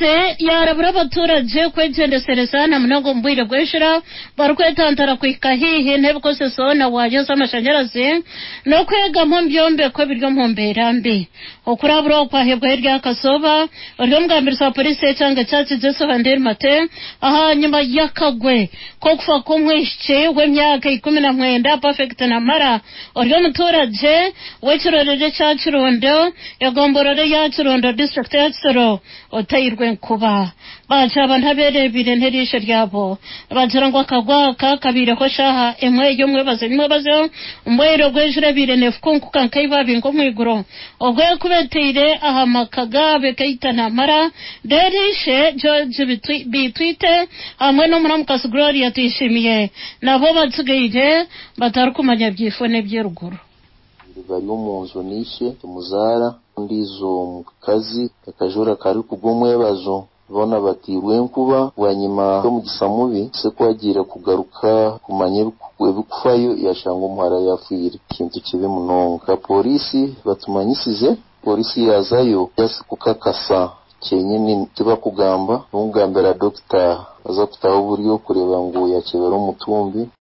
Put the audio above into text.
Polisi yarabura abaturage kwegyendesereza na munonga omu bwire bw'enjura barikwetantara kuhika haihi n'ebikozeso na waaya z'amashanyarazi n'okwegama omu byombeko ebiri omu mbeera mbi. Okurabura oku kwahebwayo eryakazooba ori omugambirizi wa polisi y'ekyanga ekya Kijeso Handel Mate ahanyima y'akagwe k'okufa kw'omwishiki w'emyaka 19 Perfect Namara ori omuturage w'ekirorero ekya Kirundo egomborora eya Kirundo disiturikiti ya Kisoro oteirwe enkuba. Bagira abantu abeereebeire n'eriisho ryabo bagira ngu akagwe aka kabaireho shaaha emwe y'omwebazo nyimwebazo omu bwire obw'enjura ebaire neefukunkuka nk'eibaabi nk'omu iguru obwo ekuba eteire aha maka gaabo ekaita Namara reero ishe George Bitwite hamwe n'omuramukazi Gloria Tuyishimiye nabo batsigaire batarikumanya byifo n'eby'eruguru. Bari omu nju na ishe omuzaara ondiijo mukazi akajura karikugwa omwebazo boona bateirwe enkuba bwanyima y'omugisha mubi ishe ku agiire kugaruka kumanya ebikufayo yashanga omuhara yafiire ekintu kibi munonga. Pooriisi batumanyisize pooriisi yaazayo just kukakasa kyenyini tibakugamba, nikugambira dokita aza kutaho oburyo kureeba ngu yakyebera omutumbi.